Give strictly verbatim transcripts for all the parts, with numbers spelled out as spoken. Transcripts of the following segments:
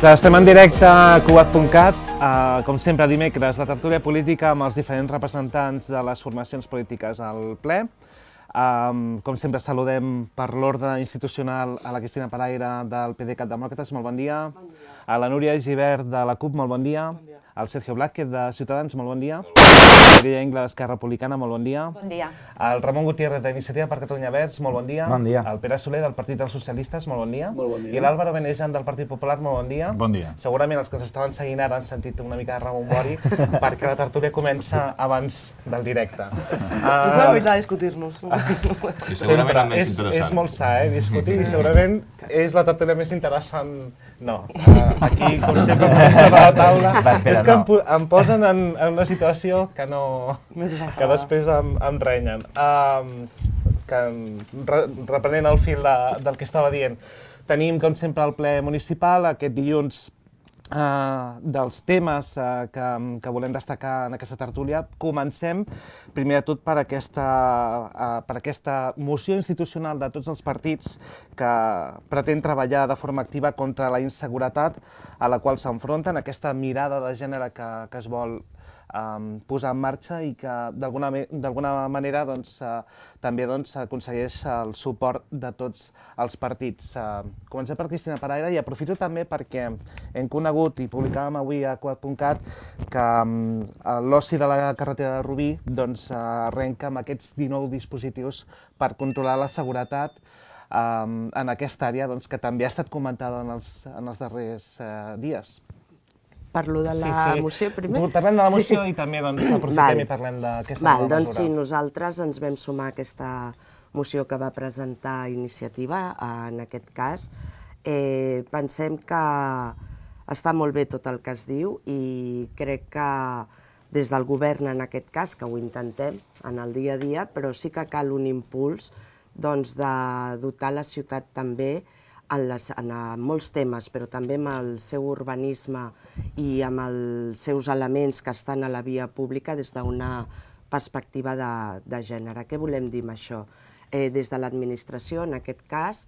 Estem en directe a Cugat punt cat, com sempre dimecres, la tertúlia política amb els diferents representants de les formacions polítiques al ple. Com sempre saludem per l'ordre institucional a la Cristina Paraire del P D Cat Demòcrates, molt bon dia. A la Núria Gibert de la CUP, molt bon dia. Al Sergio Blázquez de Ciutadans, molt bon dia. A Maria Engla d'Esquerra Republicana, molt bon dia. Bon dia. Al Ramon Gutiérrez d'Iniciativa per Catalunya Verds, molt bon dia. Bon dia. Al Pere Soler del Partit dels Socialistes, molt bon dia. Molt bon dia. I l'Àlvaro Benejan del Partit Popular, molt bon dia. Bon dia. Segurament els que ens estaven seguint ara han sentit una mica de rebombori perquè la tertúlia comença abans del directe. És la veritat discutir-nos. I segurament el més interessant. És molt sa, eh, discutir, i segurament és la tertúlia més interessant. No, aquí, com sempre, sobre la taula, és que em, em posen en, en una situació que no... que després em, em renyen. Um, que, re, reprenent el fil de, del que estava dient, tenim, com sempre, el ple municipal aquest dilluns. Uh, dels temes uh, que, que volem destacar en aquesta tertúlia. Comencem, primer de tot, per aquesta, uh, per aquesta moció institucional de tots els partits que pretén treballar de forma activa contra la inseguretat a la qual s'enfronten, aquesta mirada de gènere que, que es vol um, posar en marxa i que d'alguna manera doncs, uh, també doncs, aconsegueix el suport de tots els partits. Uh, comencem per Cristina Paraire i aprofito també perquè hem conegut i publicàvem avui a Cugat punt cat que um, l'oci de la carretera de Rubí doncs, uh, arrenca amb aquests dinou dispositius per controlar la seguretat um, en aquesta àrea doncs, que també ha estat comentada en els, en els darrers uh, dies. Parlo de la sí, sí. moció primer? Parlem de la moció sí. I també doncs, aprofitem Val. I parlem d'aquesta nova mesura. Doncs sí, nosaltres ens vam sumar a aquesta moció que va presentar Iniciativa, en aquest cas. Eh, pensem que està molt bé tot el que es diu i crec que des del govern, en aquest cas, que ho intentem en el dia a dia, però sí que cal un impuls doncs, de dotar la ciutat també en, les, en molts temes, però també amb el seu urbanisme i amb els seus elements que estan a la via pública des d'una perspectiva de, de gènere. Què volem dir amb això? Eh, des de l'administració, en aquest cas,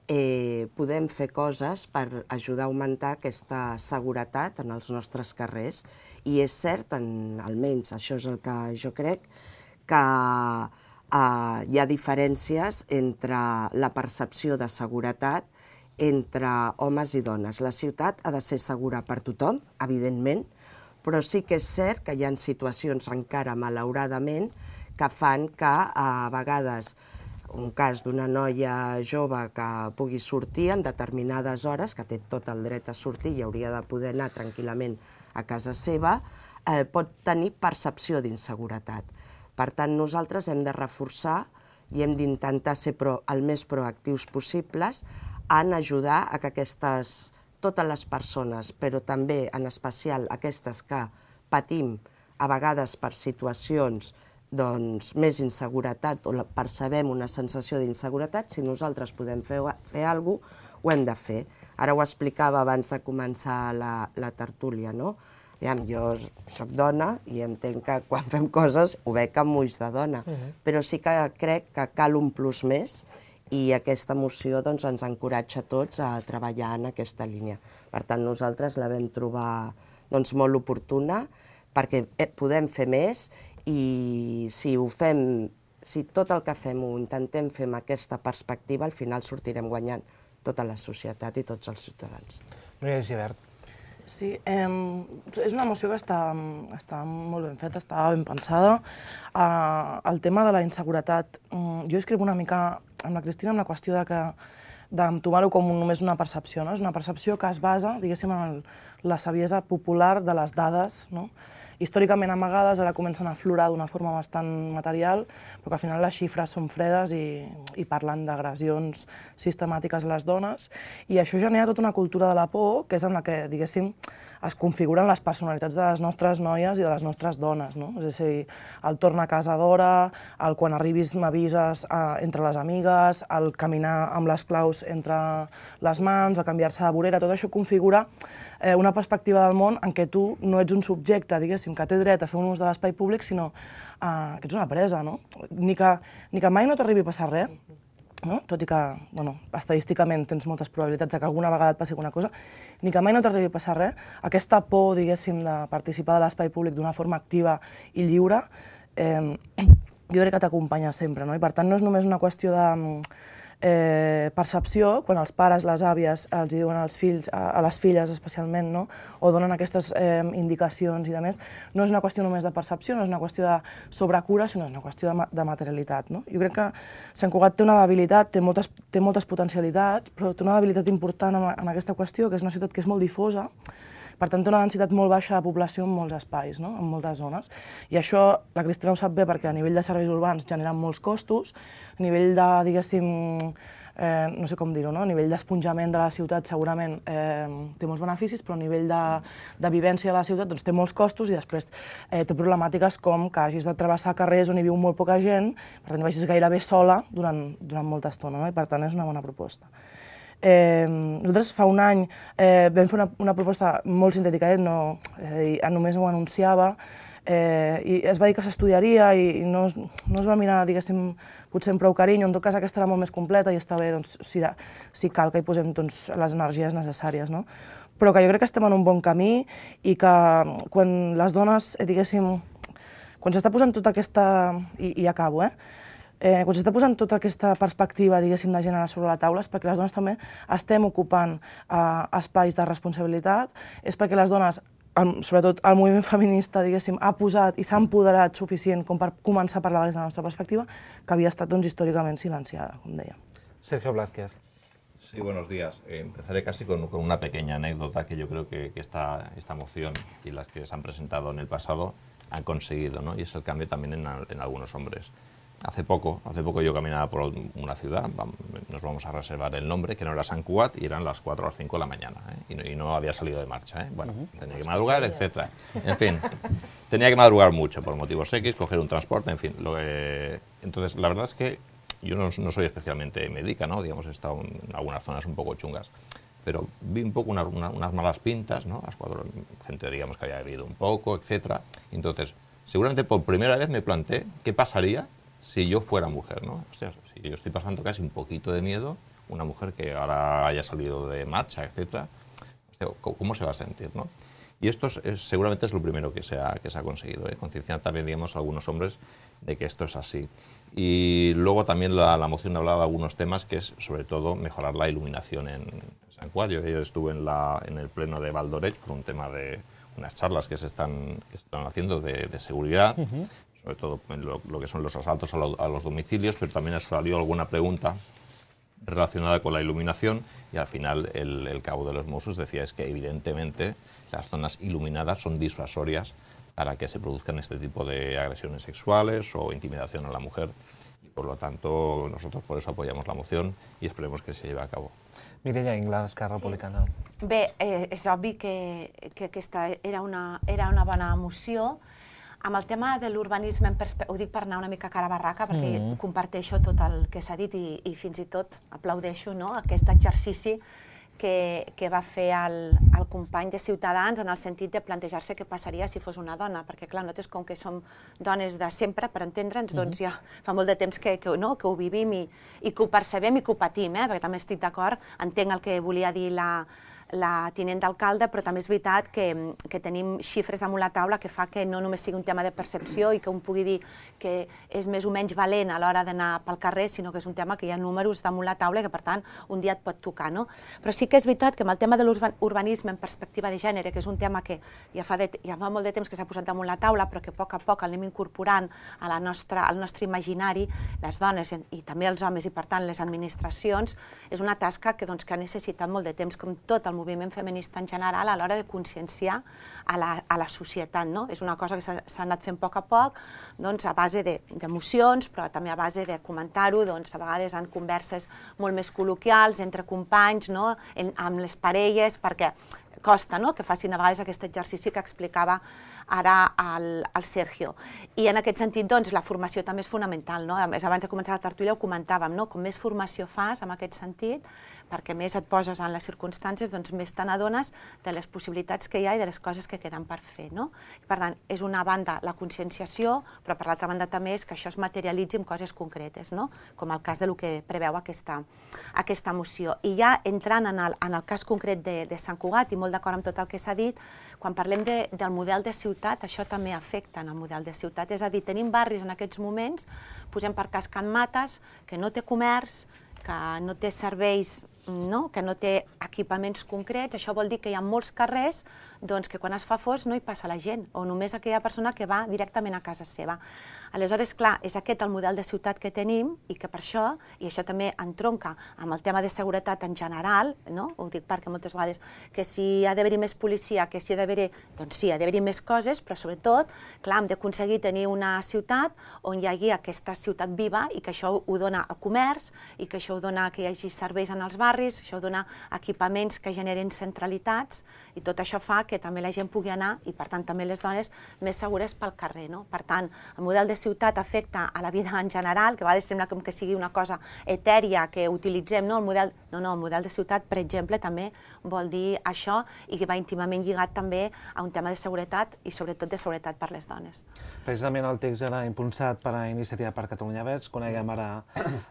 eh, podem fer coses per ajudar a augmentar aquesta seguretat en els nostres carrers. I és cert, en, almenys això és el que jo crec, que eh, hi ha diferències entre la percepció de seguretat entre homes i dones. La ciutat ha de ser segura per tothom, evidentment, però sí que és cert que hi ha situacions encara, malauradament, que fan que a vegades un cas d'una noia jove que pugui sortir en determinades hores, que té tot el dret a sortir i hauria de poder anar tranquil·lament a casa seva, eh, pot tenir percepció d'inseguretat. Per tant, nosaltres hem de reforçar i hem d'intentar ser pro, el més proactius possibles en ajudar a que aquestes, totes les persones, però també en especial aquestes que patim a vegades per situacions doncs, més inseguretat o percebem una sensació d'inseguretat, si nosaltres podem fer, fer alguna cosa, ho hem de fer. Ara ho explicava abans de començar la, la tertúlia, no? Aviam, jo soc dona i entenc que quan fem coses ho veig amb ulls de dona, uh-huh. Però sí que crec que cal un plus més i aquesta moció doncs, ens encoratja a tots a treballar en aquesta línia. Per tant, nosaltres la vam trobar doncs, molt oportuna perquè podem fer més i si ho fem, si tot el que fem ho intentem fer amb aquesta perspectiva, al final sortirem guanyant tota la societat i tots els ciutadans. Núria Gibert. Sí, eh, és una moció que està, està molt ben feta, està ben pensada. Uh, el tema de la inseguretat, um, jo escric una mica amb la Cristina amb la qüestió de que d'entomar-ho com només una percepció, no? És una percepció que es basa, diguéssim, en el, la saviesa popular de les dades, no? Històricament amagades, ara comencen a aflorar d'una forma bastant material, però que al final les xifres són fredes i, i parlen d'agressions sistemàtiques a les dones, i això genera tota una cultura de la por, que és amb la que, diguéssim, es configuren les personalitats de les nostres noies i de les nostres dones, no? És a dir, el torna a casa d'hora, el quan arribis m'avises eh, entre les amigues, el caminar amb les claus entre les mans, el canviar-se de vorera, tot això configura eh, una perspectiva del món en què tu no ets un subjecte, diguéssim, que té dret a fer un ús de l'espai públic, sinó eh, que ets una presa, no? Ni que, ni que mai no t'arribi a passar res, no? Tot i que, bueno, estadísticament tens moltes probabilitats de que alguna vegada et passi alguna cosa, ni que mai no t'arribi a passar res, aquesta por, diguéssim, de participar de l'espai públic d'una forma activa i lliure, eh, jo crec que t'acompanya sempre, no? I per tant no és només una qüestió de eh, percepció, quan els pares, les àvies els diuen als fills, a, a les filles especialment, no? O donen aquestes eh, indicacions i de més, no és una qüestió només de percepció, no és una qüestió de sobrecura, sinó és una qüestió de, de materialitat, no? Jo crec que Sant Cugat té una debilitat, té moltes, té moltes potencialitats, però té una debilitat important en, en aquesta qüestió, que és una ciutat que és molt difosa, per tant, té una densitat molt baixa de població en molts espais, no? En moltes zones. I això la Cristina ho sap bé perquè a nivell de serveis urbans generen molts costos, a nivell de, diguéssim, eh, no sé com dir-ho, no? A nivell d'esponjament de la ciutat segurament eh, té molts beneficis, però a nivell de, de vivència de la ciutat doncs, té molts costos i després eh, té problemàtiques com que hagis de travessar carrers on hi viu molt poca gent, per tant, vagis gairebé sola durant, durant molta estona, no? I per tant és una bona proposta. Eh, nosaltres fa un any eh, vam fer una, una proposta molt sintètica, eh? No, és a dir, només ho anunciava, eh, i es va dir que s'estudiaria i, i no, no es va mirar, diguéssim, potser amb prou carinyo, en tot cas aquesta era molt més completa i està bé, doncs, si, si cal que hi posem doncs, les energies necessàries, no? Però que jo crec que estem en un bon camí i que quan les dones, eh, diguéssim, quan s'està posant tota aquesta... i, i acabo, eh? Eh, quan s'està posant tota aquesta perspectiva, diguéssim, de gènere sobre la taula és perquè les dones també estem ocupant eh, espais de responsabilitat, és perquè les dones, el, sobretot el moviment feminista, diguéssim, ha posat i s'ha empoderat suficient com per començar a parlar des de la nostra perspectiva, que havia estat doncs, històricament silenciada, com deia. Sergio Blázquez. Sí, buenos días. Eh, empezaré casi con, con una pequeña anécdota que yo creo que, que esta, esta moción y las que se han presentado en el pasado han conseguido, ¿no? Y es el cambio también en, en algunos hombres. Hace poco, hace poco yo caminaba por una ciudad, nos vamos a reservar el nombre, que no era Sant Cugat, y eran las cuatro o las cinco de la mañana, ¿eh? y, no, y no había salido de marcha, ¿eh? Bueno, uh-huh. tenía que madrugar, etcétera. En fin, tenía que madrugar mucho por motivos X, coger un transporte, en fin. Lo que... Entonces, la verdad es que yo no, no soy especialmente médica, ¿no? Digamos, he estado en algunas zonas un poco chungas, pero vi un poco una, una, unas malas pintas, ¿no? Las cuatro, gente, digamos, que había bebido un poco, etcétera. Entonces, seguramente por primera vez me planteé qué pasaría si yo fuera mujer, ¿no? O sea, si yo estoy pasando casi un poquito de miedo, una mujer que ahora haya salido de marcha, etcétera, o sea, ¿cómo se va a sentir, no? Y esto es, es, seguramente es lo primero que se ha, que se ha conseguido, ¿eh? Concienciar también, digamos, a algunos hombres de que esto es así. Y luego también la, la moción hablaba de algunos temas que es, sobre todo, mejorar la iluminación en Sant Cugat. Yo, yo estuve en, la, en el pleno de Valdoreig por un tema de unas charlas que se están, que se están haciendo de, de seguridad, uh-huh. sobre todo lo, lo que son los asaltos a, lo, a los domicilios, pero también ha salido alguna pregunta relacionada con la iluminación y al final el, el cabo de los Mossos decía es que evidentemente las zonas iluminadas son disuasorias para que se produzcan este tipo de agresiones sexuales o intimidación a la mujer y por lo tanto nosotros por eso apoyamos la moción y esperemos que se lleve a cabo. Mireia Ingla, d'Esquerra Republicana. Sí. Bé, eh, és obvi que, que aquesta era una, era una bona moció. Amb el tema de l'urbanisme, ho dic per anar una mica cara a barraca, perquè mm. comparteixo tot el que s'ha dit i, i fins i tot aplaudeixo, no?, aquest exercici que, que va fer el, el company de Ciutadans en el sentit de plantejar-se què passaria si fos una dona, perquè clar, nosaltres com que som dones de sempre, per entendre'ns, doncs ja fa molt de temps que, que, no, que ho vivim i, i que ho percebem i que ho patim, eh? Perquè també estic d'acord, entenc el que volia dir la, la tinent d'alcalde, però també és veritat que, que tenim xifres damunt la taula que fa que no només sigui un tema de percepció i que un pugui dir que és més o menys valent a l'hora d'anar pel carrer, sinó que és un tema que hi ha números damunt la taula i que per tant un dia et pot tocar, no? Però sí que és veritat que amb el tema de l'urbanisme en perspectiva de gènere, que és un tema que ja fa, de, ja fa molt de temps que s'ha posat damunt la taula, però que a poc a poc el anem incorporant a la nostra, al nostre imaginari, les dones i també els homes i per tant les administracions, és una tasca que, doncs, que ha necessitat molt de temps, com tot el moviment feminista en general, a l'hora de conscienciar a la, a la societat, no? És una cosa que s'ha anat fent a poc a poc, doncs, a base d'emocions, però també a base de comentar-ho, doncs, a vegades en converses molt més col·loquials, entre companys, no? En, amb les parelles, perquè costa, no?, que facin a vegades aquest exercici que explicava ara el, el Sergio. I en aquest sentit, doncs, la formació també és fonamental, no? A més, abans de començar la tertúlia ho comentàvem, no? Com més formació fas en aquest sentit, perquè més et poses en les circumstàncies, doncs més te n'adones de les possibilitats que hi ha i de les coses que queden per fer, no? Per tant, és una banda la conscienciació, però per l'altra banda també és que això es materialitzi en coses concretes, no? Com el cas de lo que preveu aquesta, aquesta moció. I ja entrant en el, en el cas concret de, de Sant Cugat, i molt d'acord amb tot el que s'ha dit, quan parlem de, del model de ciutat, això també afecta en el model de ciutat. És a dir, tenim barris en aquests moments, posem per cas Can Mates, que no té comerç, que no té serveis, no? Que no té equipaments concrets. Això vol dir que hi ha molts carrers doncs, que quan es fa fos no hi passa la gent, o només aquella persona que va directament a casa seva. Aleshores, clar, és aquest el model de ciutat que tenim i que per això, i això també entronca amb el tema de seguretat en general, no? Ho dic perquè moltes vegades que si ha d'haver-hi més policia, que si ha d'haver-hi, doncs sí, ha d'haver-hi més coses, però sobretot, clar, hem d'aconseguir tenir una ciutat on hi hagi aquesta ciutat viva i que això ho dona el comerç i que això ho dona que hi hagi serveis en els barris, això dona equipaments que generen centralitats i tot això fa que també la gent pugui anar i per tant també les dones més segures pel carrer, no? Per tant, el model de ciutat afecta a la vida en general, que a vegades sembla com que sigui una cosa etèria que utilitzem, no? El model, no, no, el model de ciutat, per exemple, també vol dir això i que va íntimament lligat també a un tema de seguretat i sobretot de seguretat per les dones. Precisament el text era impulsat per a Iniciativa per Catalunya Verds. Coneguem ara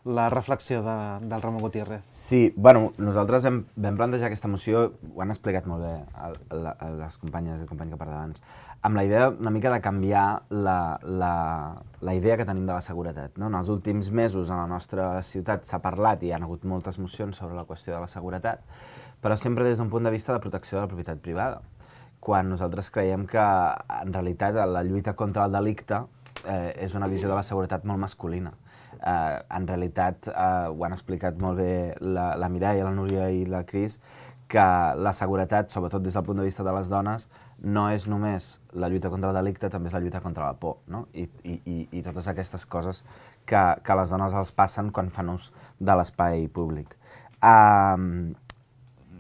la reflexió de, del Ramon Gutiérrez. Sí, bueno, nosaltres vam, vam plantejar aquesta moció, ho han explicat molt bé a, a, a les companyes i companys que parlen abans, amb la idea una mica de canviar la, la, la idea que tenim de la seguretat, no? En els últims mesos a la nostra ciutat s'ha parlat i hi ha hagut moltes mocions sobre la qüestió de la seguretat, però sempre des d'un punt de vista de protecció de la propietat privada, quan nosaltres creiem que en realitat la lluita contra el delicte eh, és una visió de la seguretat molt masculina. Eh, en realitat, eh, ho han explicat molt bé la, la Mireia, la Núria i la Cris, que la seguretat, sobretot des del punt de vista de les dones, no és només la lluita contra el delicte, també és la lluita contra la por, no? I, i, i totes aquestes coses que, que les dones els passen quan fan ús de l'espai públic. Uh,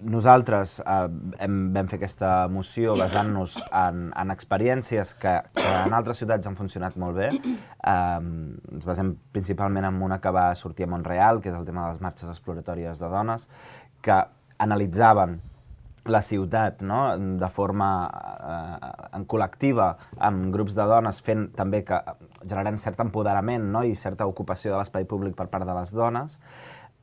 nosaltres uh, hem, vam fer aquesta moció basant-nos en, en experiències que, que en altres ciutats han funcionat molt bé. Uh, ens basem principalment en una que va sortir a Montreal, que és el tema de les marxes exploratòries de dones, que analitzaven la ciutat, no? De forma eh, en col·lectiva, amb grups de dones, fent també que generant cert empoderament, no? I certa ocupació de l'espai públic per part de les dones.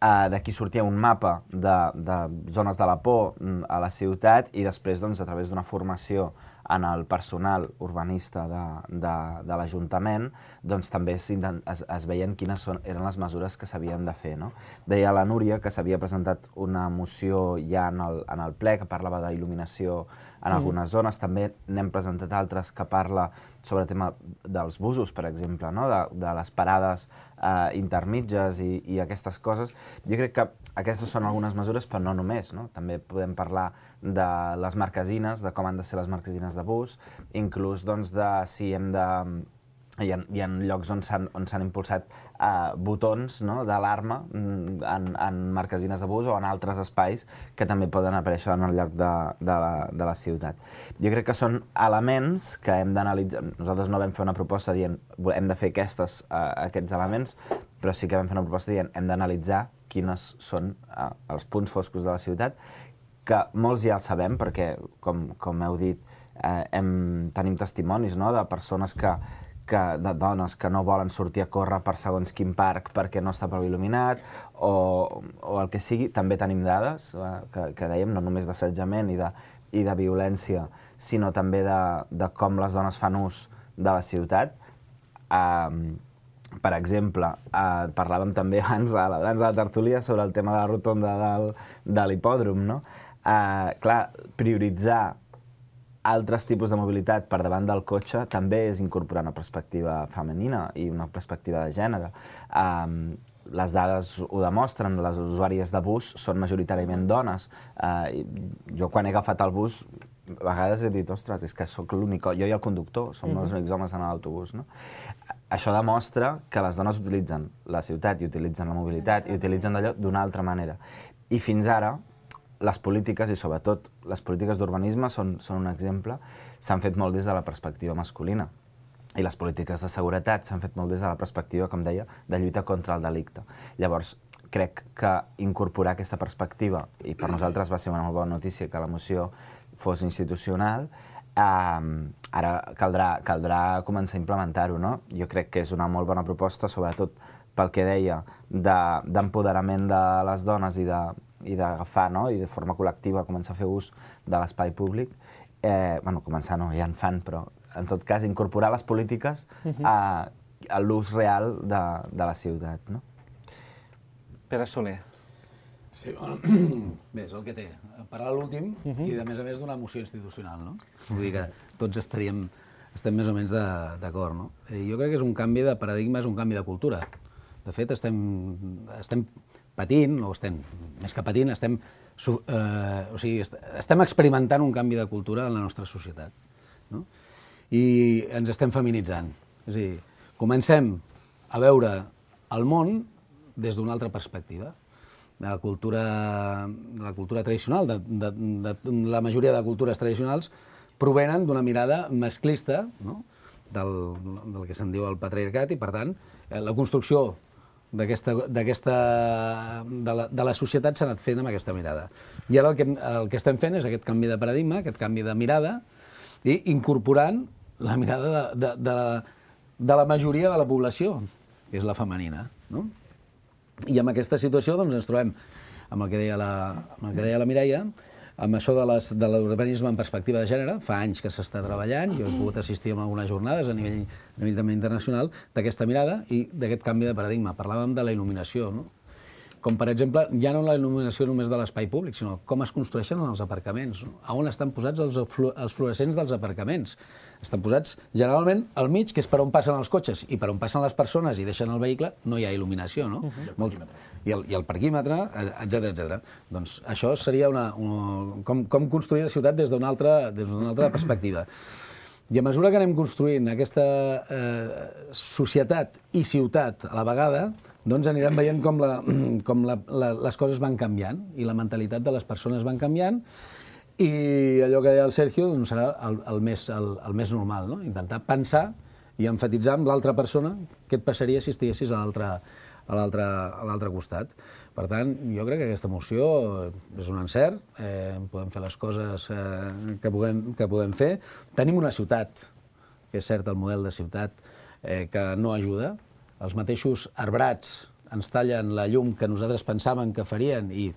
Eh, D'aquí sortia un mapa de, de zones de la por a la ciutat i després, doncs, a través d'una formació en el personal urbanista de, de, de l'Ajuntament, doncs també es, es, es veien quines són, eren les mesures que s'havien de fer, no? Deia la Núria que s'havia presentat una moció ja en el, en el ple que parlava d'il·luminació en algunes zones, també n'hem presentat altres que parla sobre el tema dels busos, per exemple, no? de, de les parades eh, intermitges i, i aquestes coses. Jo crec que aquestes són algunes mesures, però no només, no? També podem parlar de les marquesines, de com han de ser les marquesines de bus, inclús doncs, de si hem de... Hi ha, hi ha llocs on s'han impulsat uh, botons, no? d'alarma en, en marquesines de bus o en altres espais que també poden aparèixer en el lloc de, de, la, de la ciutat. Jo crec que són elements que hem d'analitzar. Nosaltres no vam fer una proposta dient hem de fer aquestes, uh, aquests elements, però sí que vam fer una proposta dient hem d'analitzar quines són uh, els punts foscos de la ciutat, que molts ja els sabem perquè, com, com heu dit, uh, hem, tenim testimonis, no? de persones que que, de dones que no volen sortir a córrer per segons quin parc perquè no està prou il·luminat, o, o el que sigui. També tenim dades eh, que, que dèiem, no només d'assetjament i, de, i de violència, sinó també de, de com les dones fan ús de la ciutat. Eh, per exemple, eh, parlàvem també abans, abans de la tertúlia sobre el tema de la rotonda del, de l'hipòdrom, no? Eh, clar, prioritzar altres tipus de mobilitat per davant del cotxe també és incorporar una perspectiva femenina i una perspectiva de gènere. Um, les dades ho demostren, les usuàries de bus són majoritàriament dones. Uh, jo quan he agafat el bus, a vegades he dit, ostres, és que sóc l'únic, jo i el conductor, som mm-hmm. els únics homes en l'autobús, no? Això demostra que les dones utilitzen la ciutat i utilitzen la mobilitat i utilitzen d'allò d'una altra manera. I fins ara, les polítiques, i sobretot les polítiques d'urbanisme, són, són un exemple, s'han fet molt des de la perspectiva masculina. I les polítiques de seguretat s'han fet molt des de la perspectiva, com deia, de lluita contra el delicte. Llavors, crec que incorporar aquesta perspectiva, i per nosaltres va ser una molt bona notícia que la moció fos institucional, eh, ara caldrà, caldrà començar a implementar-ho, no? Jo crec que és una molt bona proposta, sobretot pel que deia, d'empoderament de, de les dones i de i d'agafar, no? I de forma col·lectiva començar a fer ús de l'espai públic. Eh, bueno, començar no, ja en fan, però en tot cas incorporar les polítiques a, a l'ús real de, de la ciutat, no? Pere Soler. Sí, bueno, bé, és el que té. Parar l'últim i, a més a més, d'una moció institucional, no? Vull dir que tots estaríem, estem més o menys d'acord, no? Jo crec que és un canvi de paradigma, és un canvi de cultura. De fet, estem, estem patint, o estem, més que patint, estem, eh, o sigui, estem experimentant un canvi de cultura en la nostra societat, no? I ens estem feminitzant. És a dir, comencem a veure el món des d'una altra perspectiva. La cultura, la cultura tradicional, de, de, de, la majoria de cultures tradicionals, provenen d'una mirada masclista, no? del, del que se'n diu el patriarcat, i per tant, la construcció d'aquesta, d'aquesta, de, la, de la societat s'ha anat fent amb aquesta mirada. I ara el que, el que estem fent és aquest canvi de paradigma, aquest canvi de mirada, i incorporant la mirada de, de, de, la, de la majoria de la població, que és la femenina, no? I amb aquesta situació doncs, ens trobem amb el que deia la, amb el que deia la Mireia, amb això de, les, de l'urbanisme en perspectiva de gènere. Fa anys que s'està treballant, jo he pogut assistir a algunes jornades a nivell, a nivell també internacional d'aquesta mirada i d'aquest canvi de paradigma. Parlàvem de la il·luminació, no? Com, per exemple, ja no la il·luminació només de l'espai públic, sinó com es construeixen els aparcaments, no? A on estan posats els, els fluorescents dels aparcaments. Estan posats generalment al mig, que és per on passen els cotxes, i per on passen les persones i deixen el vehicle, no hi ha il·luminació, no? Uh-huh. Molt, I, el, I el parquímetre, etcètera, etcètera. Doncs això seria una, una, com, com construir la ciutat des d'una altra, des d'una altra perspectiva. I a mesura que anem construint aquesta eh, societat i ciutat a la vegada, doncs anirem veient com, la, com la, la, les coses van canviant i la mentalitat de les persones van canviant, i allò que deia el Sergio doncs serà el, el, més, el, el més normal, no? Intentar pensar i enfatitzar amb l'altra persona què et passaria si estiguessis a l'altre a l'altre a l'altre costat. Per tant, jo crec que aquesta moció és un encert, eh, podem fer les coses eh, que, puguem, que podem fer. Tenim una ciutat, que és cert el model de ciutat, eh, que no ajuda. Els mateixos arbrats ens tallen la llum que nosaltres pensàvem que farien, i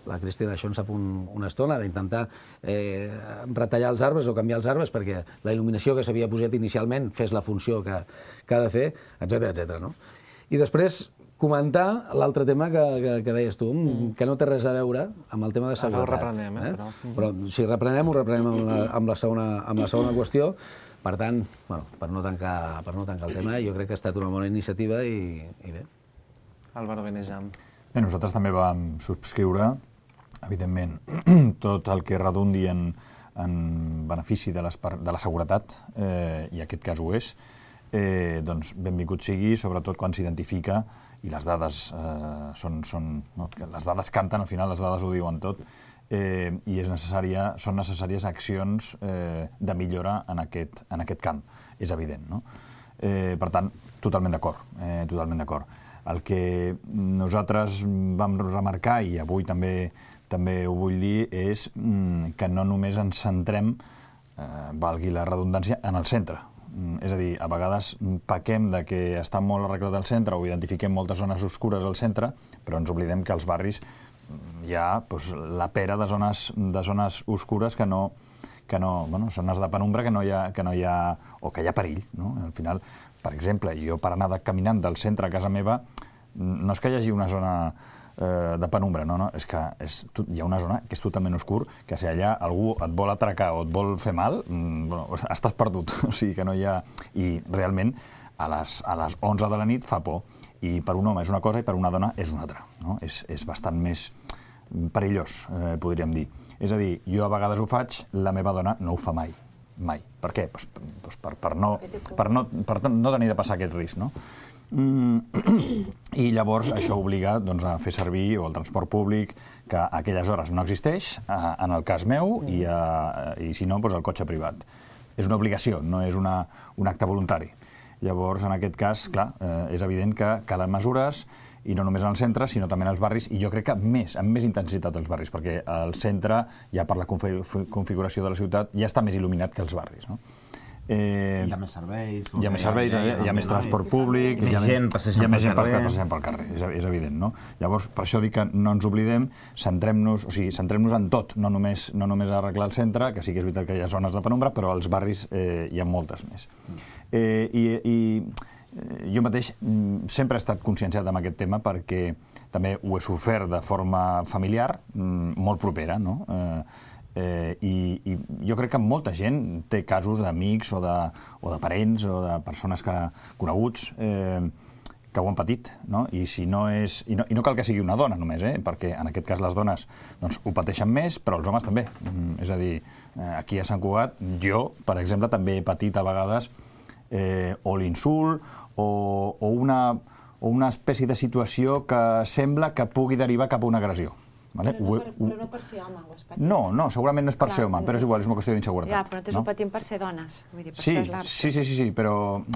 la Cristina això en sap un, una estona, d'intentar eh, retallar els arbres o canviar els arbres perquè la il·luminació que s'havia posat inicialment fes la funció que, que ha de fer, etcètera, etcètera, no? I després comentar l'altre tema que, que, que deies tu, mm. que no té res a veure amb el tema de seguretat. Ara ho reprenem, eh? eh? Però... però si reprenem, ho reprenem amb la, amb la, segona, amb la segona qüestió. Per tant, bueno, per, no tancar, per no tancar el tema, jo crec que ha estat una bona iniciativa i, i bé. Álvaro Benejam. Bé, nosaltres també vam subscriure, evidentment, tot el que redundi en, en benefici de, les, de la seguretat, eh, i aquest cas ho és, eh, doncs benvingut sigui, sobretot quan s'identifica, i les dades eh, són, són no, les dades canten, al final les dades ho diuen tot, eh, i és necessària, són necessàries accions eh, de millora en aquest, en aquest camp, és evident, no? Eh, per tant, totalment d'acord, eh, totalment d'acord. El que nosaltres vam remarcar, i avui també, també ho vull dir, és mm, que no només ens centrem, eh, valgui la redundància, en el centre. Mm, és a dir, a vegades pequem de que està molt arreglat el centre o identifiquem moltes zones oscures al centre, però ens oblidem que als barris hi ha doncs, la pera de zones, de zones oscures que no, que no, bueno, zones de penombra que no hi ha, que no hi ha, o que hi ha perill, no? Al final, per exemple, jo per anar de, caminant del centre a casa meva, no és que hi hagi una zona eh, de penombra, no, no, és que és, hi ha una zona que és totalment oscur, que si allà algú et vol atracar o et vol fer mal, mm, bueno, estàs perdut, o sigui que no hi ha... I realment a les, a les onze de la nit fa por, i per un home és una cosa i per una dona és una altra, no? És, és bastant més perillós, eh, podríem dir. És a dir, jo a vegades ho faig, la meva dona no ho fa mai, mai. Per què? Pues, pues per, per, no, per, no, per no tenir de passar aquest risc, no? I llavors això obliga doncs, a fer servir o el transport públic, que a aquelles hores no existeix, en el cas meu, i, a, i si no, doncs, el cotxe privat. És una obligació, no és una, un acte voluntari. Llavors, en aquest cas, clar, eh, és evident que calen mesures, i no només en el centre, sinó també en els barris, i jo crec que més, amb més intensitat als barris, perquè el centre, ja per la configuració de la ciutat, ja està més il·luminat que els barris, no? Eh, hi ha més serveis. Hi ha més serveis, hi ha, hi ha més transport públic, hi ha més gent passejant pel carrer, és, és evident, no? Llavors, per això dic que no ens oblidem, centrem-nos, o sigui, centrem-nos en tot, no només, no només a arreglar el centre, que sí que és veritat que hi ha zones de penombra, però als barris eh, hi ha moltes més. Eh, i, i jo mateix sempre he estat conscienciat amb aquest tema perquè també ho he sofert de forma familiar, molt propera, no? Eh, Eh, i, i jo crec que molta gent té casos d'amics o, de, o de parents o de persones que, coneguts eh, que ho han patit, no? I, si no és, i, no, i no cal que sigui una dona només, eh? Perquè en aquest cas les dones doncs, ho pateixen més, però els homes també. Mm, és a dir, eh, aquí a Sant Cugat, jo, per exemple, també he patit a vegades eh, o l'insult o, o, una, o una espècie de situació que sembla que pugui derivar cap a una agressió. Vale? Però, no per, però no per ser home, ho has patit. No, no, segurament no és per ser home, però és igual, és una qüestió d'inseguretat. Ja, però nosaltres no? ho patim per ser dones. Vull dir, per sí, això és sí, sí, sí, sí, però,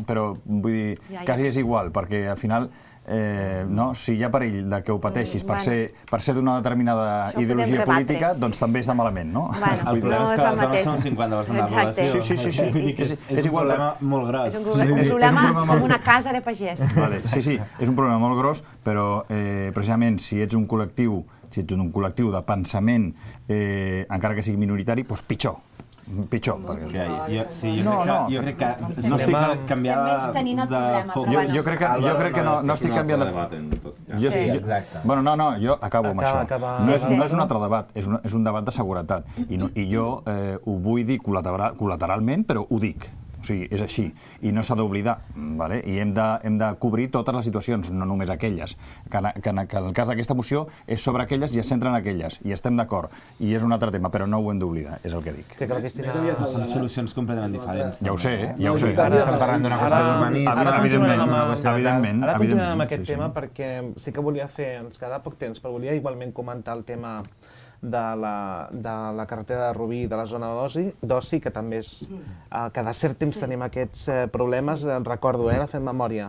però vull dir, ja, ja. quasi és igual, perquè al final, eh, no, si hi ha perill de que ho pateixis mm, per, bueno. ser, per ser d'una determinada això ideologia política, doncs també està malament, no? Bueno, el problema no és que les dones són cinquanta per cent de la població. Sí, sí, sí, sí. Vull dir que és, és, és un problema molt gros. És un problema, sí, problema és un problema com una casa de pagès. Vale, sí, sí, és un problema molt gros, però eh, precisament si ets un col·lectiu si ets un col·lectiu de pensament, eh, encara que sigui minoritari, doncs pitjor. Pitjor. Perquè... Jo, sí, jo, no, crec que, no. jo crec que no estic canviant de, de foc. Jo, jo crec que, jo crec que no, no estic canviant de foc. Jo, sí, exacte. Bueno, no, no, jo acabo amb acaba, això. Acaba... No, és, no és un altre debat, és un, és un debat de seguretat. I, no, i jo eh, ho vull dir col·lateral, col·lateralment, però ho dic. O sigui, és així, i no s'ha d'oblidar, vale? I hem de, hem de cobrir totes les situacions, no només aquelles. Que, que, que en el cas d'aquesta moció és sobre aquelles i es centra en aquelles, i estem d'acord, i és un altre tema, però no ho hem d'oblidar, és el que dic. Que que Cristina... Són solucions completament diferents. Ja ho sé, ja ho sé. Ara estem parlant d'una qüestió d'urbanisme, evidentment, evidentment. Ara continuem amb aquest tema perquè sí que volia fer, ens queda poc temps, però volia igualment comentar el tema de la, de la carretera de Rubí i de la zona d'oci, que també és... Eh, cada cert temps sí. tenim aquests eh, problemes, eh, recordo, eh, fent memòria.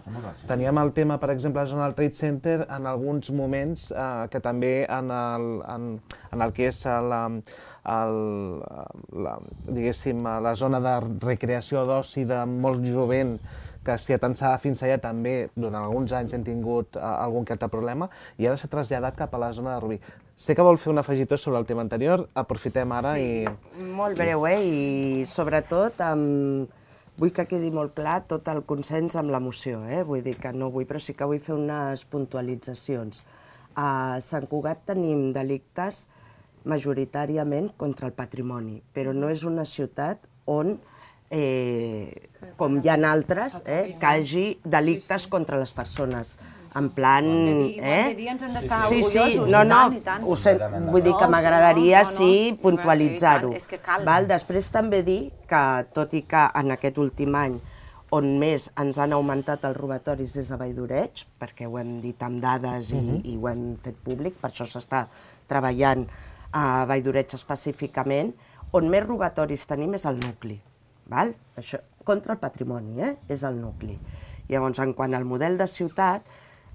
Teníem el tema, per exemple, a la zona del Trade Center, en alguns moments, eh, que també en el, en, en el que és la, el, la, diguéssim, la zona de recreació d'oci de molt jovent, que si atansava fins allà també, durant alguns anys hem tingut uh, algun que altre problema, i ara s'ha traslladat cap a la zona de Rubí. Sé que vol fer un afegitó sobre el tema anterior, aprofitem ara sí, i... Molt breu, eh? I sobretot amb... vull que quedi molt clar tot el consens amb l'emoció, eh? Vull dir que no vull, però sí que vull fer unes puntualitzacions. A Sant Cugat tenim delictes majoritàriament contra el patrimoni, però no és una ciutat on Eh, com hi ha altres, eh, que hagi delictes contra les persones. En plan... Eh? Sí, sí, no, no, ho sé, vull dir que m'agradaria, sí, puntualitzar-ho. Després també dir que, tot i que en aquest últim any on més ens han augmentat els robatoris és a Valldoreig, perquè ho hem dit amb dades i, i ho hem fet públic, per això s'està treballant a Valldoreig específicament, on més robatoris tenim és el nucli. Val? Això, contra el patrimoni, eh? És el nucli. Llavors, en quant al model de ciutat,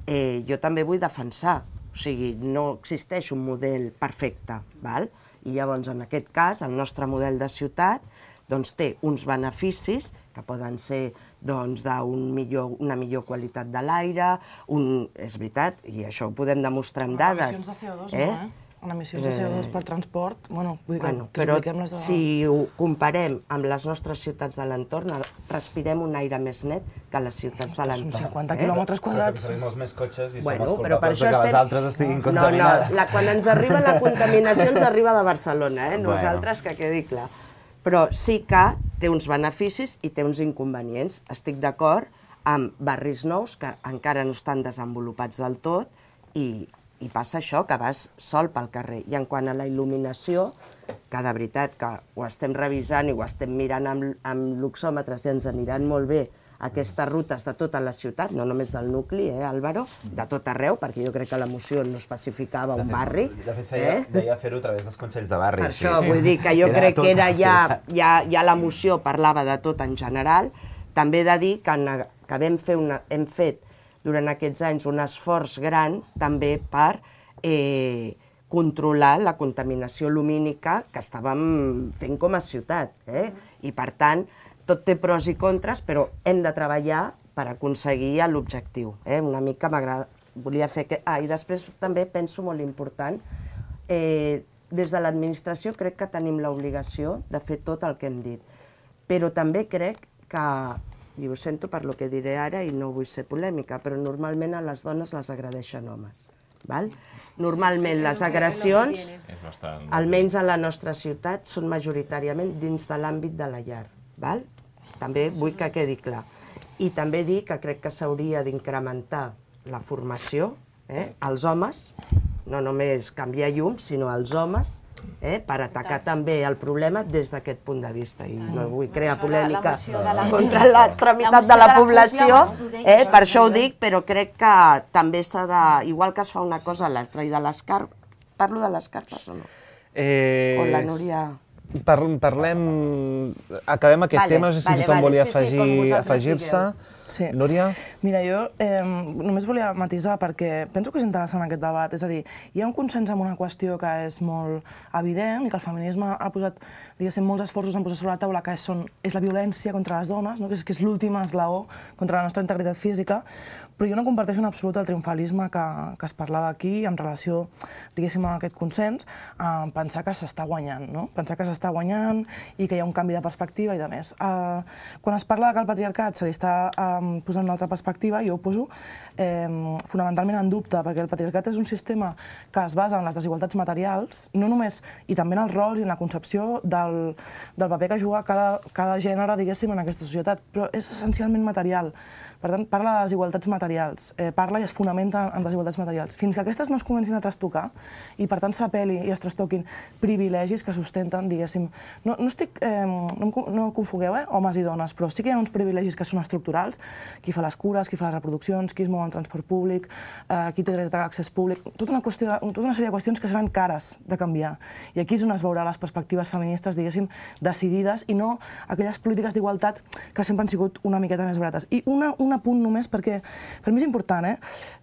eh, jo també vull defensar, o sigui, no existeix un model perfecte, val? I llavors, en aquest cas, el nostre model de ciutat doncs, té uns beneficis que poden ser doncs, d'una millor, una millor qualitat de l'aire, un... és veritat, i això ho podem demostrar amb dades. Emissions de C O dos, eh? no, eh? En emissions de C O dos per transport, bueno, vull dir que, bueno, que però les de... si ho comparem amb les nostres ciutats de l'entorn, respirem un aire més net que les ciutats de l'entorn. Són cinquanta quilòmetres quadrats. Però tenim molts més cotxes i bueno, som els culpables que estem... les altres estiguin contaminades. No, no, la, quan ens arriba la contaminació ens arriba de Barcelona, eh? Nosaltres, bueno. Que quedi clar. Però sí que té uns beneficis i té uns inconvenients. Estic d'acord amb barris nous que encara no estan desenvolupats del tot i I passa això, que vas sol pel carrer. I en quant a la il·luminació, que de veritat que ho estem revisant i ho estem mirant amb, amb luxòmetres i ens aniran molt bé aquestes rutes de tota la ciutat, no només del nucli, eh, Álvaro, de tot arreu, perquè jo crec que la moció no especificava un barri. De fet, feia, deia fer-ho a través dels consells de barri. Per això, vull dir que jo crec que era ja, ja, ja la moció parlava de tot en general. També he de dir que, que vam fer una, hem fet durant aquests anys un esforç gran també per eh, controlar la contaminació lumínica que estàvem fent com a ciutat. Eh? I per tant, tot té pros i contres, però hem de treballar per aconseguir l'objectiu. Eh? Una mica m'agrada, volia fer que... Ah, i després també penso molt important, eh, des de l'administració crec que tenim l'obligació de fer tot el que hem dit, però també crec que, i ho sento per lo que diré ara i no vull ser polèmica, però normalment a les dones les agredeixen homes. Val? Normalment les agressions, almenys a la nostra ciutat, són majoritàriament dins de l'àmbit de la llar. Val? També vull que quedi clar. I també dir que crec que s'hauria d'incrementar la formació eh, als homes, no només canviar llums, sinó als homes, eh, per atacar també el problema des d'aquest punt de vista. I no vull crear polèmica contra l'altra meitat de la població, eh, per això ho dic, però crec que també s'ha de, igual que es fa una cosa a l'altra, i de les carpes, parlo de les carpes o no? Eh, o la Núria... Par parlem... Acabem aquest vale, tema, no sé si vale, tothom vale, volia sí, afegir, sí, afegir-se. Sí. Núria? Mira, jo eh, només volia matisar perquè penso que és interessant aquest debat. És a dir, hi ha un consens en una qüestió que és molt evident i que el feminisme ha posat, diguéssim, molts esforços en posar sobre la taula, que són, és la violència contra les dones, no? que és, que és l'últim esglaó contra la nostra integritat física, però jo no comparteixo en absolut el triomfalisme que, que es parlava aquí en relació, diguéssim, a aquest consens, a pensar que s'està guanyant, no? Pensar que s'està guanyant i que hi ha un canvi de perspectiva i de més. Uh, quan es parla que el patriarcat se li està um, posant una altra perspectiva, jo ho poso eh, fonamentalment en dubte, perquè el patriarcat és un sistema que es basa en les desigualtats materials, no només, i també en els rols i en la concepció del, del paper que juga cada, cada gènere, diguéssim, en aquesta societat, però és essencialment material. Per tant, parla de desigualtats materials, eh, parla i es fonamenta en desigualtats materials. Fins que aquestes no es comencin a trastocar i, per tant, s'apel·li i es trastoquin privilegis que sustenten, diguéssim... No, no estic... Eh, no, no confogueu, eh, homes i dones, però sí que hi ha uns privilegis que són estructurals, qui fa les cures, qui fa les reproduccions, qui es mou en transport públic, eh, qui té dret a l'accés públic... Tota una, qüestió de, tota una sèrie de qüestions que seran cares de canviar. I aquí és on es veurà les perspectives feministes, diguéssim, decidides, i no aquelles polítiques d'igualtat que sempre han sigut una miqueta més barates. I una, una punt només, perquè per mi és important, eh?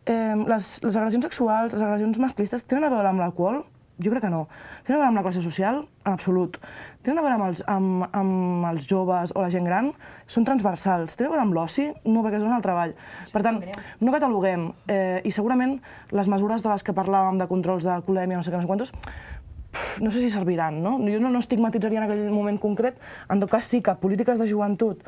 eh les, les agressions sexuals, les agressions masclistes, tenen a veure amb l'alcohol? Jo crec que no. Tenen a veure amb la classe social? En absolut. Tenen a veure amb els, amb, amb els joves o la gent gran? Són transversals. Tenen a veure amb l'oci? No, perquè és un altre treball. Per tant, no cataloguem. Eh, I segurament les mesures de les que parlàvem, de controls d'alcoholèmia, no sé què, no sé quantos, no sé si serviran, no? Jo no, no estigmatitzaria en aquell moment concret. En tot cas, sí que polítiques de joventut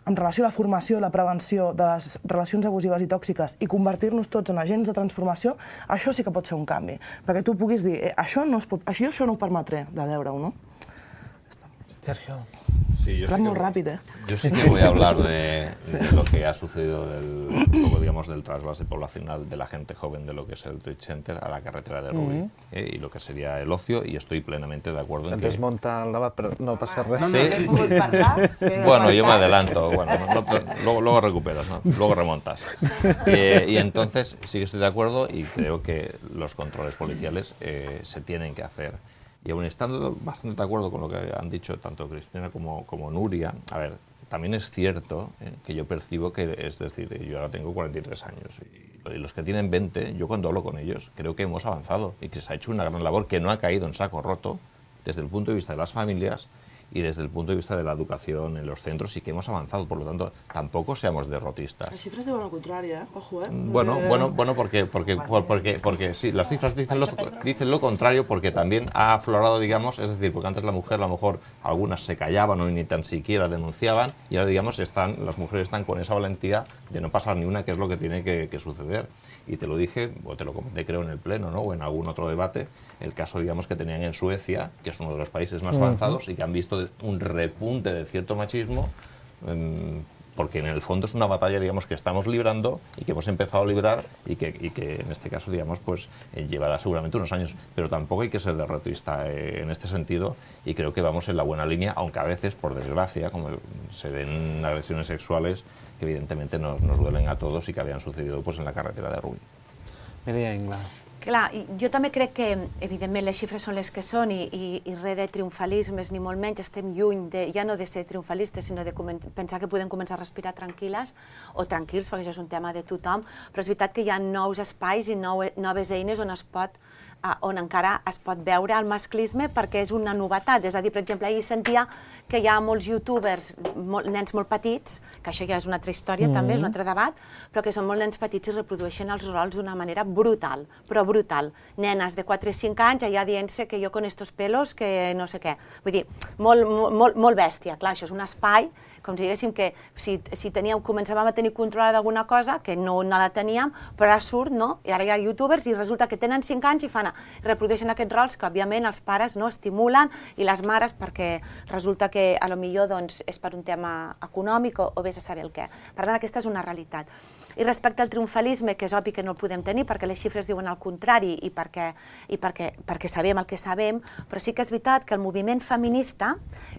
en relació a la formació i la prevenció de les relacions abusives i tòxiques i convertir-nos tots en agents de transformació, això sí que pot fer un canvi. Perquè tu puguis dir, eh, això, no es pot, això, això no ho permetré de veure-ho, no? Sergio. Sí, yo, sí muy que, rápido, ¿eh? yo sí que voy a hablar de, de lo que ha sucedido del, luego, digamos, del trasvase poblacional de la gente joven de lo que es el Trade Center a la carretera de Rubí, mm-hmm. eh, y lo que sería el ocio, y estoy plenamente de acuerdo en que... Desmonta el debat, però no passa res. No, no, sí, sí, sí. Bueno, yo me adelanto, bueno, no, no, luego, luego recuperas, ¿no? Luego remontas. Eh, y entonces sí que estoy de acuerdo y creo que los controles policiales eh, se tienen que hacer. Y aún estando bastante de acuerdo con lo que han dicho tanto Cristina como, como Nuria, a ver, también es cierto eh, que yo percibo que, es decir, yo ahora tengo cuarenta y tres años y, y los que tienen veinte, yo cuando hablo con ellos creo que hemos avanzado y que se ha hecho una gran labor que no ha caído en saco roto desde el punto de vista de las familias y desde el punto de vista de la educación en los centros y que hemos avanzado, por lo tanto, tampoco seamos derrotistas. Las cifras diuen lo contrario, ¿eh? Ojo, ¿eh? Bueno, eh... bueno, bueno, porque, porque, porque, porque sí, las cifras dicen lo, dicen lo contrario porque también ha aflorado, digamos, es decir, porque antes la mujer, a lo mejor, algunas se callaban o ni tan siquiera denunciaban y ahora, digamos, están, las mujeres están con esa valentía de no pasar ni una, que es lo que tiene que, que suceder. Y te lo dije, o te lo comenté creo en el Pleno, ¿no? O en algún otro debate, el caso, digamos, que tenían en Suecia, que es uno de los países más avanzados y que han visto un repunte de cierto machismo, eh, porque en el fondo es una batalla, digamos, que estamos librando y que hemos empezado a librar y que, y que en este caso, digamos, pues eh, llevará seguramente unos años, pero tampoco hay que ser derrotista eh, en este sentido y creo que vamos en la buena línea, aunque a veces, por desgracia, como se ven agresiones sexuales que evidentemente nos, nos duelen a todos y que habían sucedido pues en la carretera de Rubí. Mireia Ingla. Clar, jo també crec que, evidentment, les xifres són les que són i, i, i res de triomfalismes, ni molt menys, estem lluny de, ja no de ser triomfalistes, sinó de pensar que podem començar a respirar tranquil·les o tranquils, perquè això és un tema de tothom, però és veritat que hi ha nous espais i nou, noves eines on es pot on encara es pot veure el masclisme perquè és una novetat. És a dir, per exemple, ahir sentia que hi ha molts youtubers, molt, nens molt petits, que això ja és una altra història, mm-hmm. també, és un altre debat, però que són molt nens petits i reprodueixen els rols d'una manera brutal, però brutal. Nenes de quatre o cinc anys allà dient-se que jo con estos pelos, que no sé què. Vull dir, molt, molt, molt bèstia. Clar, això és un espai, com si diguéssim que si, si teníem, començàvem a tenir control d'alguna cosa, que no, no la teníem, però ara surt, no? I ara hi ha youtubers i resulta que tenen cinc anys i fan reprodueixen aquests rols que, òbviament, els pares no estimulen i les mares perquè resulta que a lo millor doncs, és per un tema econòmic o, o vés a saber el què. Per tant, aquesta és una realitat. I respecte al triomfalisme, que és obvi que no el podem tenir perquè les xifres diuen el contrari i perquè, i perquè, perquè sabem el que sabem, però sí que és veritat que el moviment feminista,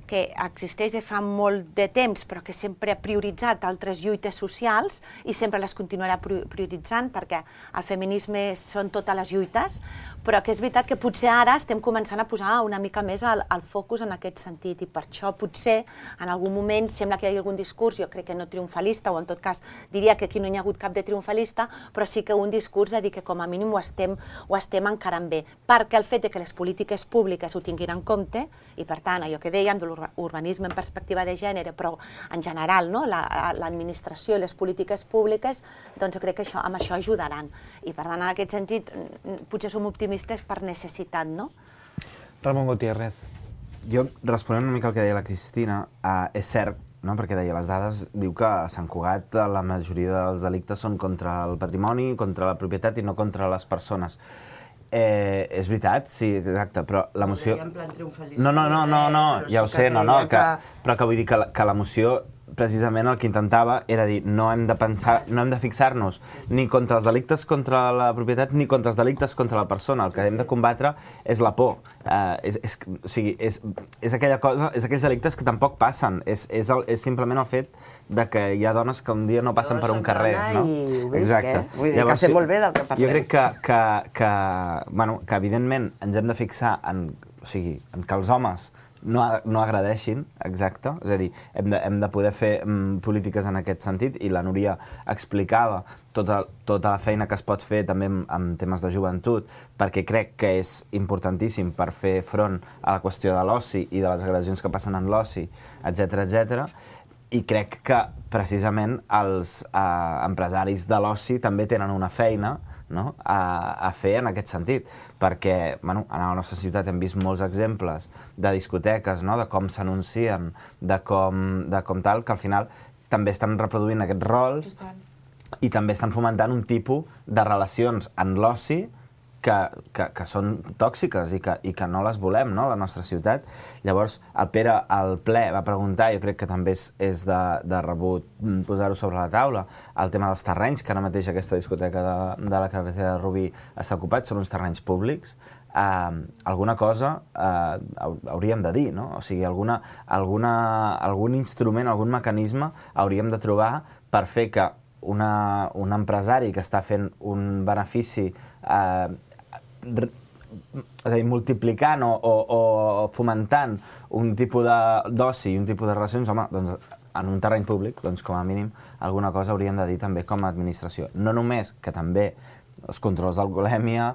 que existeix de fa molt de temps, però que sempre ha prioritzat altres lluites socials i sempre les continuarà prioritzant perquè el feminisme són totes les lluites, però que és veritat que potser ara estem començant a posar una mica més el, el focus en aquest sentit i per això potser en algun moment sembla que hi hagi algun discurs, jo crec que no triomfalista o en tot cas diria que aquí no hi ha hagut cap de triomfalista, però sí que un discurs de dir que com a mínim ho estem, ho estem encarant bé, perquè el fet de que les polítiques públiques ho tinguin en compte i per tant allò que dèiem de l'urbanisme en perspectiva de gènere, però en general no? l'administració i les polítiques públiques, doncs crec que això, amb això ajudaran i per tant en aquest sentit potser som optimistes per necessitat, no? Ramon Gutiérrez. Jo, responent una mica al que deia la Cristina, eh, és cert, no? Perquè deia les dades, diu que a Sant Cugat la majoria dels delictes són contra el patrimoni, contra la propietat i no contra les persones. Eh, és veritat, sí, exacte, però l'emoció... No, no, no, no, no, ja ho sé, no, no, que, però que vull dir que, que l'emoció precisament el que intentava era dir no hem de pensar, no hem de fixar-nos ni contra els delictes contra la propietat ni contra els delictes contra la persona. El que hem de combatre és la por. Eh, és, és, o sigui, és, és aquella cosa, és aquells delictes que tampoc passen. És, és, el, és simplement el fet de que hi ha dones que un dia no passen per un carrer. No? Exacte. Vull dir que sé molt bé del que parlem. Jo crec que, que, que, bueno, que evidentment ens hem de fixar en, o sigui, en que els homes no, no agradeixin, exacte, és a dir, hem de, hem de poder fer mm, polítiques en aquest sentit i la Núria explicava tota, tota la feina que es pot fer també en, en temes de joventut, perquè crec que és importantíssim per fer front a la qüestió de l'oci i de les agressions que passen en l'oci, etcètera, etcètera. I crec que precisament els eh, empresaris de l'oci també tenen una feina, no? a, a fer en aquest sentit, perquè bueno, a la nostra ciutat hem vist molts exemples de discoteques, no? De com s'anuncien, de, com, de com tal, que al final també estan reproduint aquests rols i també estan fomentant un tipus de relacions en l'oci que, que, que són tòxiques i que, i que no les volem, no? A la nostra ciutat. Llavors, el Pere al ple va preguntar, jo crec que també és, és de, de rebut posar-ho sobre la taula, el tema dels terrenys, que ara mateix aquesta discoteca de, de la carretera de Rubí està ocupat, són uns terrenys públics. Uh, alguna cosa uh, hauríem de dir, no? O sigui, alguna, alguna, algun instrument, algun mecanisme hauríem de trobar per fer que una, un empresari que està fent un benefici uh, és a dir, multiplicant o, o, o fomentant un tipus d'oci i un tipus de relacions, home, doncs en un terreny públic, doncs com a mínim alguna cosa hauríem de dir també com a administració. No només que també els controls d'alcoholèmia,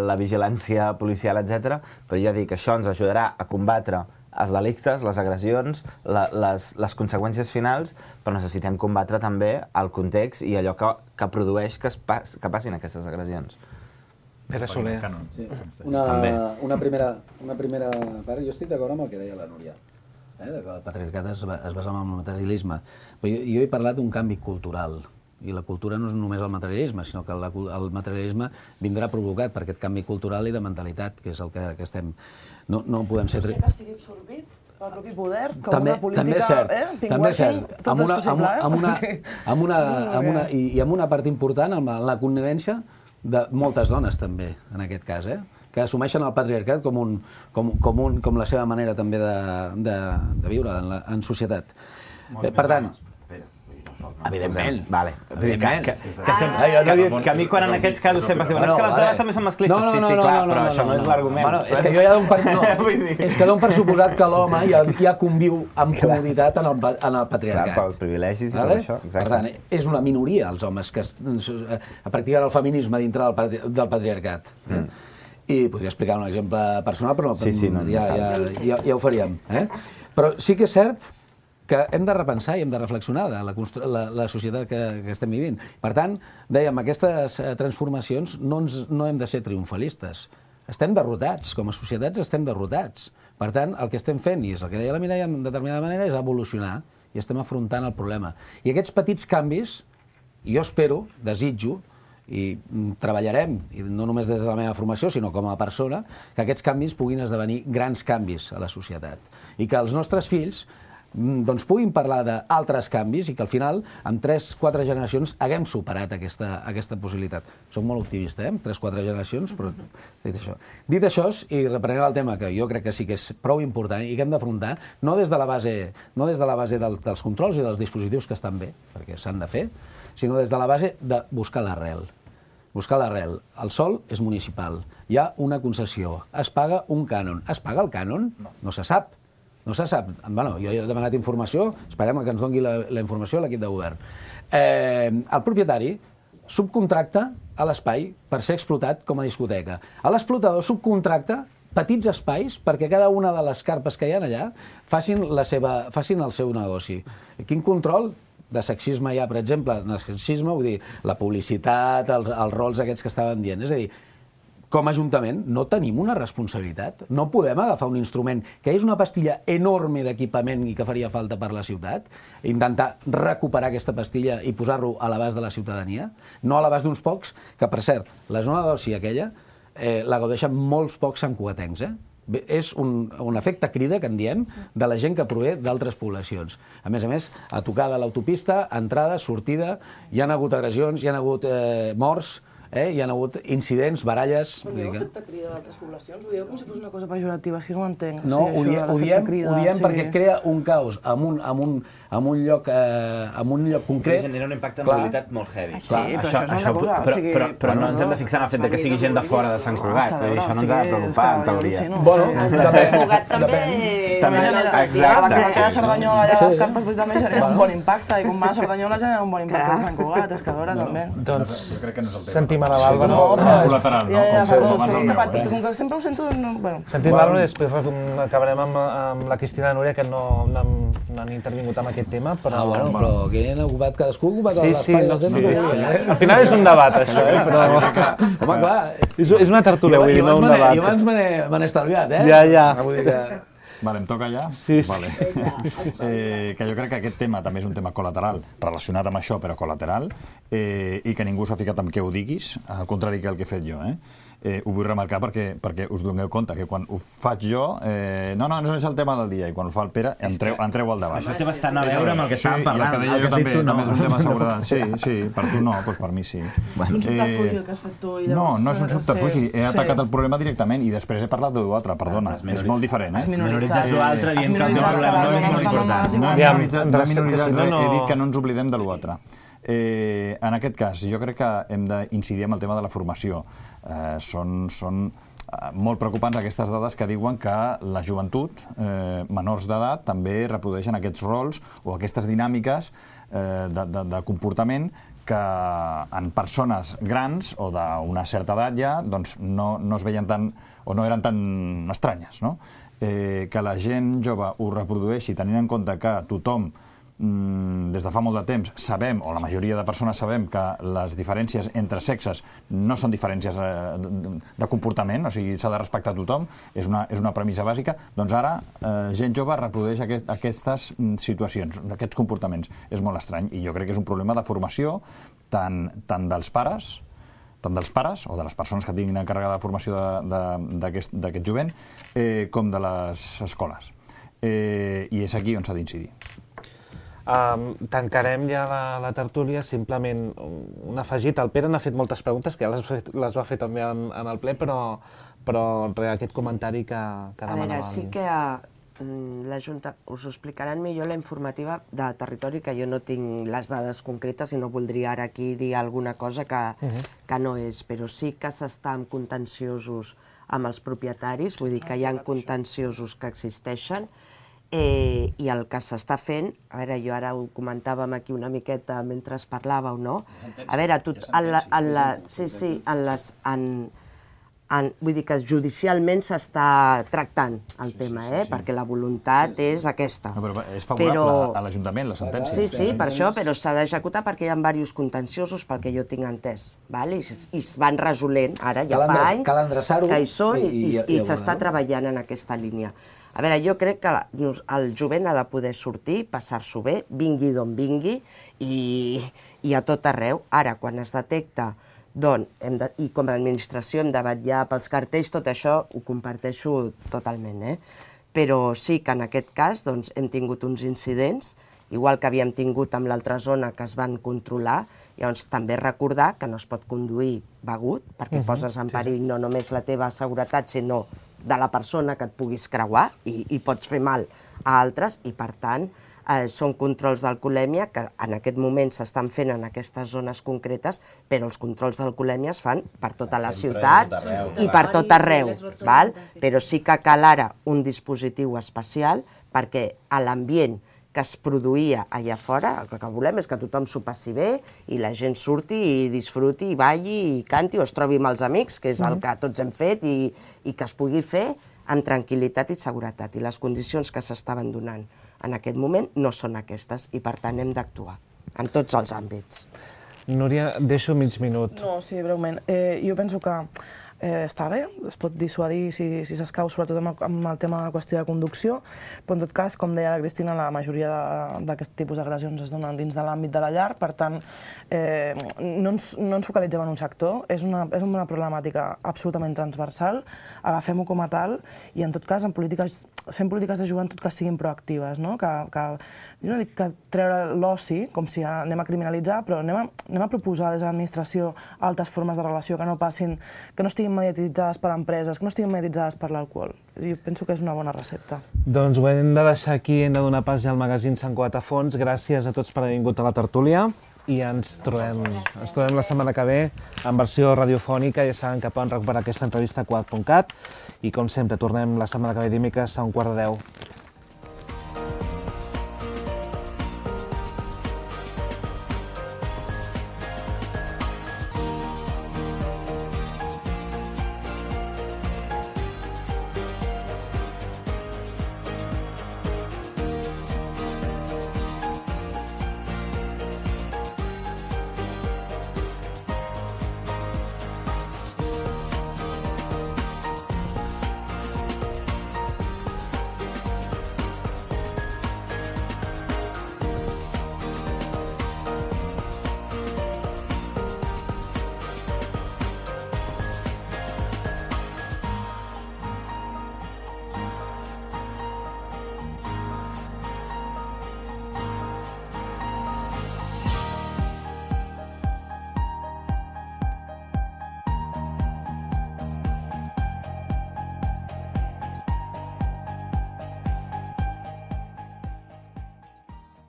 la vigilància policial, etcètera, però ja dic que això ens ajudarà a combatre els delictes, les agressions, la, les, les conseqüències finals, però necessitem combatre també el context i allò que, que produeix que, es pas, que passin aquestes agressions. Pere Soler. Sí. Una, una, primera, una primera part, jo estic d'acord amb el que deia la Núria, eh? Que el patriarcat es, es basa en el materialisme. Però jo, jo he parlat d'un canvi cultural, i la cultura no és només el materialisme, sinó que la, el materialisme vindrà provocat per aquest canvi cultural i de mentalitat, que és el que, que estem... No, no podem ser... Potser que sigui absorbit pel propi poder, com també, una política, també és cert, eh? també és cert. Tot amb una, és possible, eh? amb una, amb una, amb una, i, I amb una part important, amb la, la connivència de moltes dones també, en aquest cas, eh? que assumeixen el patriarcat com, un, com, com, un, com la seva manera també de, de, de viure en, la, en societat. Eh, per tant, evidentment. Vale. Evidentment. Que, que, que, sempre, ah, que, que, que a mi quan en aquests casos sempre es diuen és que les dones també són masclistes. No, no, sí, sí, no, clar, no, no, però no, això no, no, és no. l'argument. Bueno, és que jo ja dono per, no, és que dono per suposat que l'home ja, ja conviu amb comoditat en el, en el patriarcat. Clar, pels privilegis i vale? tot això. Exacte. Per tant, és una minoria els homes que es, eh, practiquen el feminisme dintre del, patri, del patriarcat. Eh? Mm. I podria explicar un exemple personal, però sí, sí, no, ja, ja, ja, ja ho faríem. Eh? Però sí que és cert que hem de repensar i hem de reflexionar de la, la, la societat que, que estem vivint. Per tant, dèiem, aquestes transformacions no, ens, no hem de ser triomfalistes. Estem derrotats, com a societats estem derrotats. Per tant, el que estem fent, i és el que deia la Mireia en determinada manera, és evolucionar i estem afrontant el problema. I aquests petits canvis, jo espero, desitjo, i treballarem, i no només des de la meva formació, sinó com a persona, que aquests canvis puguin esdevenir grans canvis a la societat. I que els nostres fills doncs puguin parlar d'altres canvis i que al final, en tres quatre generacions, haguem superat aquesta, aquesta possibilitat. Soc molt optimista, eh? tres quatre generacions, però dit això. Dit això, i reprenent el tema que jo crec que sí que és prou important i que hem d'afrontar, no des de la base, no des de la base del, dels controls i dels dispositius que estan bé, perquè s'han de fer, sinó des de la base de buscar l'arrel. Buscar l'arrel. El sòl és municipal. Hi ha una concessió. Es paga un cànon. Es paga el cànon? No se sap. No se sap. Bueno, jo he demanat informació, esperem que ens doni la, la informació a l'equip de govern. Eh, el propietari subcontracta a l'espai per ser explotat com a discoteca. L'explotador subcontracta petits espais perquè cada una de les carpes que hi ha allà facin, la seva, facin el seu negoci. Quin control de sexisme hi ha, per exemple? De sexisme, vull dir, la publicitat, els, els rols aquests que estaven dient. És a dir, com a Ajuntament no tenim una responsabilitat. No podem agafar un instrument que és una pastilla enorme d'equipament i que faria falta per la ciutat, intentar recuperar aquesta pastilla i posar-lo a l'abast de la ciutadania, no a l'abast d'uns pocs, que per cert, la zona d'oci aquella eh, la gaudeixen molts pocs santcugatencs, eh? Bé, és un, un efecte crida, que en diem, de la gent que prové d'altres poblacions. A més a més, a tocar de l'autopista, entrada, sortida, hi ha hagut agressions, hi ha hagut eh, morts, Eh? Hi ha hagut incidents, baralles... Però dieu efecte crida d'altres poblacions? Ho dieu com si fos una cosa pejorativa, és que no ho entenc. No, ho diem, ho diem, ho diem perquè crea un caos en un, en un, en un, lloc, eh, en un lloc concret... Sí, genera un impacte en mobilitat molt heavy. Sí, però això, això és una cosa... Però, però, però no ens hem de fixar en el fet que sigui gent de fora de Sant Cugat. Això no ens ha de preocupar, en teoria. Bueno, Sant Cugat també... També, exacte. La que a Cerdanyola allà a les carpes també genera un bon impacte, i com va a Cerdanyola genera un bon impacte a Sant Cugat, és que a veure, també. Doncs sentim a la Bàrbara. No, col·lateral, no? Ja, ja, perdó, Com s'ha fem escapat, és que com que sempre ho sento... Bueno. Sentim a la Bàrbara i després acabarem amb, amb la Cristina i Núria, que no, no, han, no han intervingut amb aquest tema, però... Ah, bueno, però que han ocupat cadascú, ocupat sí, l'espai sí, del temps sí. que vulgui, eh? Al final és un debat, això, eh? Però... Home, clar... És, és una tertúlia, vull dir, no un debat. Jo abans me n'he estalviat, eh? Ja, ja. Vull dir que... Vale, em toca ja? Sí, sí. Vale. eh, que jo crec que aquest tema també és un tema col·lateral, relacionat amb això, però col·lateral, eh, i que ningú s'ha ficat amb què ho diguis, al contrari que el que he fet jo. Eh? Eh, ho vull remarcar perquè, perquè us doneu compte que quan ho faig jo, eh, no, no, no és el tema del dia, i quan ho fa el Pere, entreu, entreu al debat. Això té bastant a veure amb el que estàvem parlant. Sí, i el que deia jo també, també és un tema de seguretat. Sí, sí, per tu no, doncs per mi sí. Un subterfugi el que has fet tu i llavors... No, no és un subterfugi, he atacat el problema directament i després he parlat de l'altre, perdona, és molt diferent, eh? Has minoritzat l'altre dient que el problema no és molt important. No he minoritzat res, he dit que no ens oblidem de l'altre. Eh, en aquest cas, jo crec que hem d'incidir en el tema de la formació. Eh, són, són eh, molt preocupants aquestes dades que diuen que la joventut, eh, menors d'edat, també reprodueixen aquests rols o aquestes dinàmiques eh, de, de, de comportament que en persones grans o d'una certa edat ja doncs no, no es veien tan, o no eren tan estranyes, no? Eh, que la gent jove ho reprodueixi tenint en compte que tothom des de fa molt de temps sabem, o la majoria de persones sabem, que les diferències entre sexes no són diferències de comportament, o sigui, s'ha de respectar tothom, és una, és una premissa bàsica, doncs ara eh, gent jove reprodueix aquest, aquestes situacions, aquests comportaments. És molt estrany, i jo crec que és un problema de formació tant, tant dels pares, tant dels pares o de les persones que tinguin encarregada de formació d'aquest jovent, eh, com de les escoles. i és aquí on s'ha d'incidir. Tancarem ja la tertúlia, simplement un afegit. El Pere n'ha fet moltes preguntes, que ja les va fer també en el ple, però aquest comentari que demanava. A veure, sí que la Junta us ho explicaran millor la informativa de territori, que jo no tinc les dades concretes i no voldria ara aquí dir alguna cosa que no és, però sí que s'està en contenciosos amb els propietaris, vull dir que hi ha contenciosos que existeixen, i el que s'està fent, a veure, jo ara ho comentàvem aquí una miqueta mentre parlàveu, no? A veure, sí, sí, en les... Vull dir que judicialment s'està tractant el tema, perquè la voluntat és aquesta. Però és favorable a l'Ajuntament, la sentència. Sí, sí, per això, però s'ha d'executar perquè hi ha diversos contenciosos, pel que jo tinc entès, i es van resolent, ara ja fa anys que hi són i s'està treballant en aquesta línia. A veure, jo crec que el jovent ha de poder sortir, passar-s'ho bé, vingui d'on vingui i a tot arreu. Ara, quan es detecta, i com a administració hem de vetllar pels cartells, tot això ho comparteixo totalment, però sí que en aquest cas hem tingut uns incidents, igual que havíem tingut amb l'altra zona que es van controlar, llavors també recordar que no es pot conduir begut, perquè poses en perill no només la teva seguretat, sinó de la persona que et puguis creuar i pots fer mal a altres, i per tant són controls d'alcoholèmia que en aquest moment s'estan fent en aquestes zones concretes, però els controls d'alcoholèmia es fan per tota la ciutat i per tot arreu, però sí que cal ara un dispositiu especial perquè a l'ambient que es produïa allà fora, el que volem és que tothom s'ho passi bé i la gent surti i disfruti i balli i canti o es trobi amb els amics, que és el que tots hem fet, i que es pugui fer amb tranquil·litat i seguretat. I les condicions que s'estaven donant en aquest moment no són aquestes i per tant hem d'actuar en tots els àmbits. Núria, deixo mig minut. No, sí, breument. Jo penso que està bé, es pot dissuadir si s'escau, sobretot amb el tema de la qüestió de conducció, però en tot cas, com deia la Cristina, la majoria d'aquest tipus d'agressions es donen dins de l'àmbit de la llar, per tant, no ens focalitzem en un sector, és una problemàtica absolutament transversal, agafem-ho com a tal, i en tot cas fem polítiques de joventut que siguin proactives, no? Jo no dic que treure l'oci, com si anem a criminalitzar, però anem a proposar des de l'administració altres formes de relació que no passin, que no estiguin mediatitzades per empreses, que no estiguin mediatitzades per l'alcohol. Jo penso que és una bona recepta. Doncs ho hem de deixar aquí, hem de donar pas ja al magazín Sant Cugat a fons. Gràcies a tots per haver vingut a la tertúlia i ens trobem la setmana que ve en versió radiofònica. Ja saben que poden recuperar aquesta entrevista a cugat punt cat i com sempre tornem la setmana que ve dimecres a un quart de deu.